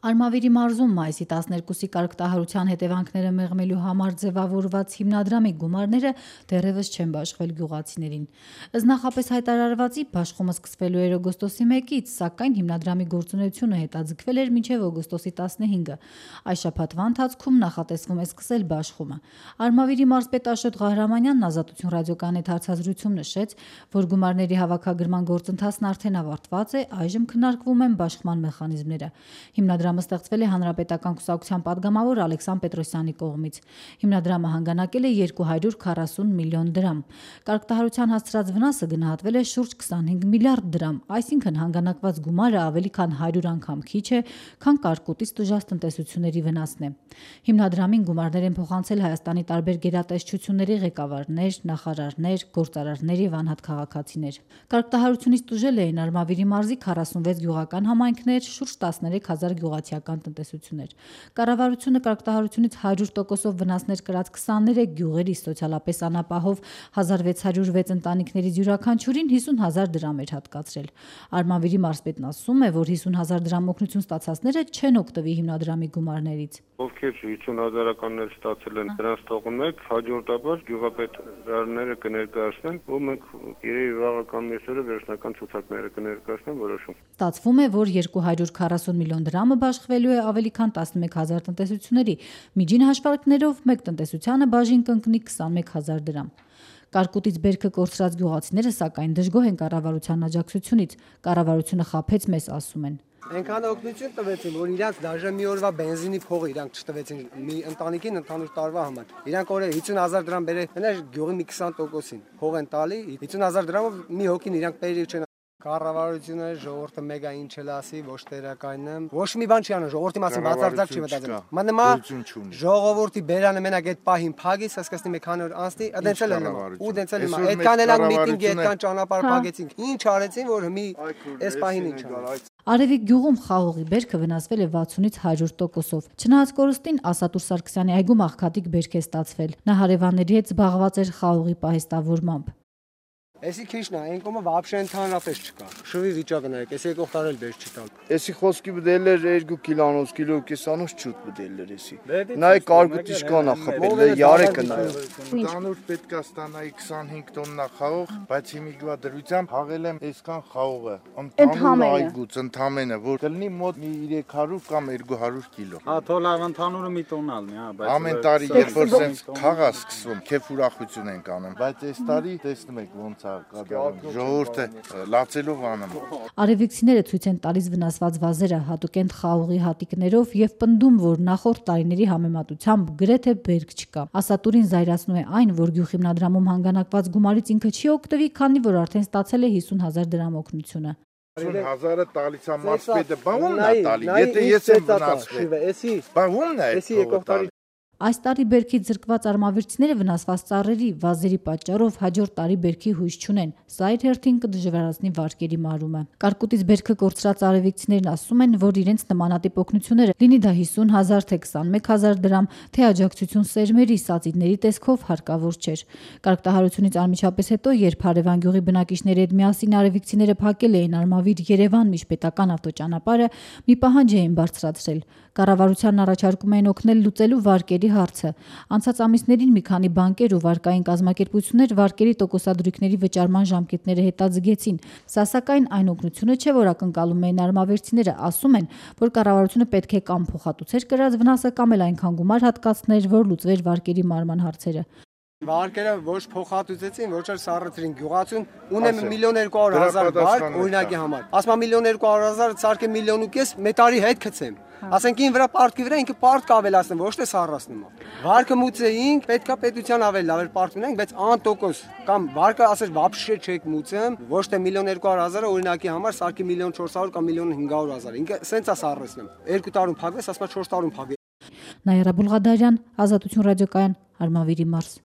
Արմավիրի մարզում մայիսի 12-ի կարգտահարության հետևանքները մեղմելու համար ձևավորված հիմնադրամի գումարները դեռևս չեն բաշխվել գյուղացիներին։ Ըստ նախապես հայտարարվածի բաշխումը սկսվելու էր օգոստոսի 1-ից, սակայն հիմնադրամի գործունեությունը հետաձգվել էր մինչև օգոստոսի 15-ը։ Այս շաբաթվա ընթացքում նախատեսվում է սկսել բաշխումը։ Արմավիրի մարզպետ Աշոտ Ղահրամանյանն Ազատություն ռադիոկայանի հետ հարցազրույցում նշեց, որ գումարների հավաքագրման գործընթացն արդեն ավարտված է, այժմ քննարկվում են բաշխման մեխանիզմները։ Հիմնադրամը ստեղծվել է Հանրապետական կուսակցության падգամավոր Ալեքսան Պետրոսյանի կողմից։ Հիմնադրամը հանգանակել է 240 միլիոն դրամ։ Կարգտահարության հասցրած վնասը գնահատվել է շուրջ 25 միլիարդ դրամ, այսինքն հանգանակված գումարը ավելի քան 100 անգամ քիչ է, քան կարկուտից տուժած տնտեսությունների վնասն է։ Հիմնադրամին գումարներ են փոխանցել Հայաստանի տարբեր գերատեսչությունների ղեկավարներ, նախարարներ, գործարարներ եւ անհատ քաղաքացիներ։ Կարգտահարությունից տուժել էին Արմավիրի մարզի 46 գյուղական համայնքներ, շուրջ 13,000 գյուղացիական տնտեսություններ։ Կառավարությունը կարգտահարությունից 100%-ով վնասներ կրած 23 գյուղերի սոցիալապես անապահով 1606 ընտանիքներից յուրաքանչյուրին 50,000 դրամ էր հատկացրել։ Արմավիրի մարզպետն ասում է, որ 50,000 դրամ օգնություն ստացածները չեն օգտվի հիմնադրամի գումարներից։ Ովքեր 50,000-ականներ ստացել են, դրանց թողում եք, հաջորդաբար գյուղապետարները կներկայացնեն, ու մենք իրերի վաղական մեսերը վերջնական ցուցակները կներկայացնեն որոշում։ Ստացվում է, որ 240 միլիոն դրամը բաշխվելու է ավելի քան 11,000 տնտեսությունների, միջին հաշվարկներով մեկ տնտեսությանը բաժին կընկնի 21,000 դրամ։ Կարկուտից բերքը կորցրած գյուղացիները սակայն դժգոհ են կառավարության աջակցությունից։ Կառավարությունը խաբեց մեզ, ասում են։ Այնքան օգնություն տվեցին, որ իրանք դաժե մի օրվա բենզինի փողը իրանք չտվեցին մի ընտանիքին ընդհանուր տարվա համար։ Իրանք օրը 50,000 դրամ բերել, հենց գյուղի մի 20%-ին փող են տալի, 50,000 դրամով մի հոգին իրանք բերի չեն։ Կառավարությունը ժողովուրդը մեգա ինչ էլ ասի, ոչ տերակայինն եմ, ոչ մի բան չի անում, ժողովրդի մասին բացարձակ չի մտածում։ Մանեմա ժողովրդի բերանը մենակ այդ պահին փագից, հասկացնի մի քանի օր անցնի, դենցել են ու դենցել հիմա։ Այդքան էլ ան միտինգի, այդքան ճանապարհ փագեցինք։ Ինչ արեցին, որ մի այս պահին ինչ արեցին։ Արևիկ գյուղում խաղողի բերքը վնասվել է 60-ից 100%-ով։ Չնայած կորստին Ասատուր Սարգսյանի այգում աղքատիկ բերք է ստացվել։ Նա հարևանների հետ զբաղված էր խաղողի պահեստավորմամբ։ Էսի քիչն է, այն կոմը вообще ընդհանրապես չկա։ Շվի վիճակը նայեք, էսի եկող տարել բեր չտալ։ Էսի խոսքի բդել էր 2 կիլոնոց, կիլո կեսանոց չուտ բդել էր էսի։ Նայ կարգուտի չկան ախպել է, յարեկը նայ։ Տանուր պետքա ստանայի 25 տոննա խաղող, բայց հիմիկվա դրությամբ հաղել եմ այսքան խաղողը։ Ընդհանուր այգուց ընդամենը, որ կլինի մոտ 300 կամ 200 կիլո։ Հա, թոլավ ընդհանուրը մի տոննա ալնի, հա, բայց ամեն տարի երբ որ սենց խաղա սկսվում, քեֆ ուրախություն ենք անում, բայց այս տարի տեսնում եք ոնց ժողովուրդը լացելով անում։ Արևիկցիները ցույց են տալիս վնասված վազերը, հատուկենտ խաղողի հատիկներով եւ պնդում, որ նախորդ տարիների համեմատությամբ գրեթե բերք չկա։ Ասատուրին զայրացնում է այն, որ գյուղ հիմնադրամում հանգանակված գումարից ինքը չի օգտվի, քանի որ արդեն ստացել է 50,000 դրամ օգնությունը։ 50,000-ը տալիս է մասպետը, բա ո՞ւմն է տալի, եթե ես եմ վնասվել։ Բա ո՞ւմն է էսի եկող տարի։ Այս տարի բերքից զրկված արմավիրցիները վնասված ծառերի, վազերի պատճառով հաջորդ տարի բերքի հույս չունեն։ Սա իր հերթին կդժվարացնի վարկերի մարումը։ Կարկուտից բերքը կորցրած արևիկցիներն ասում են, որ իրենց նմանատիպ օգնությունները, լինի դա 50,000 թե 21,000 դրամ, թե աջակցություն սերմերի, սածիների տեսքով հարկավոր չէր։ Կարգտահարությունից անմիջապես հետո, երբ Հարևան գյուղի բնակիչների հետ միասին արևիկցիները փակել էին Արմավիր-Երևան միջպետական ավտոճանապարհը, մի պահանջ էին բարձրացրել։ Կառավարությանն առաջարկում էին օգնել լուծելու վարկերի հարցը։ Անցած ամիսներին մի քանի բանկեր ու վարկային կազմակերպություններ վարկերի տոկոսադրույքների վճարման ժամկետները հետաձգեցին։ Սա սակայն այն օգնությունը չէ, որ ակնկալում էին արմավերցիները, ասում են, որ կառավարությունը պետք է կամ փոխհատուցեր կրած վնասը, կամ էլ այնքան գումար հատկացներ, որ լուծվեր վարկերի մարման հարցերը։ Վարկերը ոչ փոխհատուցեցին, ոչ էլ սառեցրին։ Գյուղացուն ունեմ 1,200,000 վարկ օրինակի համար։ Ասում եմ 1,200,000 ցարկե 1,5 մետարի հետ գցեմ։ Ասենք ին վրա պարտքի վրա ինքը պարտք ավելացնում, ոչ թե սառացնում։ Վարկը մուծեինք, պետքա պետության ավելի լավ պարտք ունենք, բայց անտոկոս կամ վարկը ասես вообще չեք մուծեմ, ոչ թե 1,200,000 օրինակի համար սարքի 1,400,000 կամ 1,500,000։ Ինքը սենց է սառեցնում։ 2 տարում փակվես, ասում 4 տարում փակվի։ Նայրա Բուլղադարյան, Ազատություն ռադիոկայան, Արմավիրի մարզ։